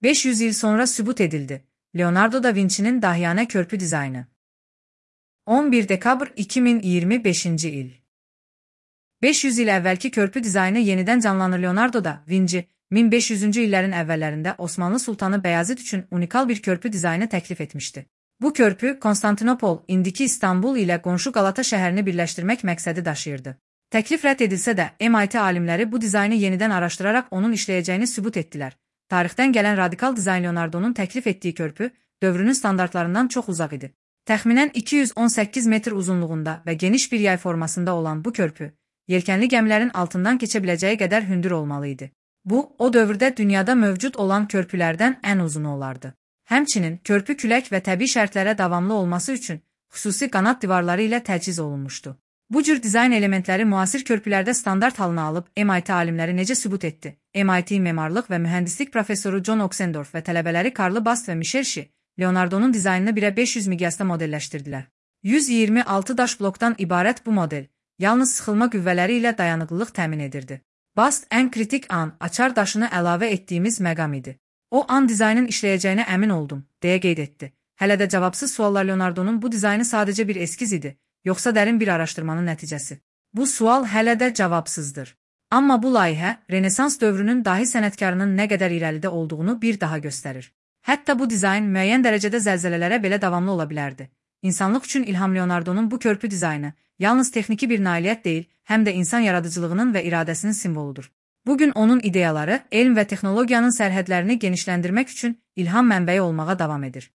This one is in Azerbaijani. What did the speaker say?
500 il sonra sübut edildi. Leonardo da Vinci'nin dahiyane körpü dizaynı. 11 dekabr 2025 il. 500 il əvvəlki körpü dizaynı yenidən canlanır. Leonardo da Vinci, 1500-cü illərin əvvəllərində Osmanlı Sultanı Bəyazid üçün unikal bir körpü dizaynı təklif etmişdi. Bu körpü, Konstantinopol, indiki İstanbul ilə qonşu Qalata şəhərini birləşdirmək məqsədi daşıyırdı. Təklif rədd edilsə də, MIT alimləri bu dizaynı yenidən araşdıraraq onun işləyəcəyini sübut etdilər. Tarixdən gələn radikal dizayn Leonardo'nun təklif etdiyi körpü, dövrünün standartlarından çox uzaq idi. Təxminən 218 metr uzunluğunda və geniş bir yay formasında olan bu körpü, yelkənli gəmilərin altından keçə biləcəyi qədər hündür olmalı idi. Bu, o dövrdə dünyada mövcud olan körpülərdən ən uzunu olardı. Həmçinin, körpü külək və təbii şərtlərə davamlı olması üçün xüsusi qanat divarları ilə təchiz olunmuşdu. Bu cür dizayn elementləri müasir körpülərdə standart halına alıb MIT alimləri necə sübut etdi? MIT memarlıq və mühəndislik professoru John Oxendorf və tələbələri Karl Bast və Michel Shi, Leonardo'nun dizaynını 1:500 miqyasda modelləşdirdilər. 126 daş blokdan ibarət bu model, yalnız sıxılma qüvvələri ilə dayanıqlılıq təmin edirdi. Bast ən kritik an, açar daşını əlavə etdiyimiz məqam idi. O an dizaynın işləyəcəyinə əmin oldum, deyə qeyd etdi. Hələ də cavabsız suallar. Leonardo'nun bu dizaynı sadəcə bir eskiz idi, yoxsa dərin bir araşdırmanın nəticəsi? Bu sual hələ də cavabsızdır. Amma bu layihə, Renesans dövrünün dahi sənətkarının nə qədər irəlidə olduğunu bir daha göstərir. Hətta bu dizayn müəyyən dərəcədə zəlzələlərə belə davamlı ola bilərdi. İnsanlıq üçün ilham Leonardo'nun bu körpü dizaynı yalnız texniki bir nailiyyət deyil, həm də insan yaradıcılığının və iradəsinin simvoludur. Bugün onun ideyaları, elm və texnologiyanın sərhədlərini genişləndirmək üçün ilham mənbəyi olmağa davam edir.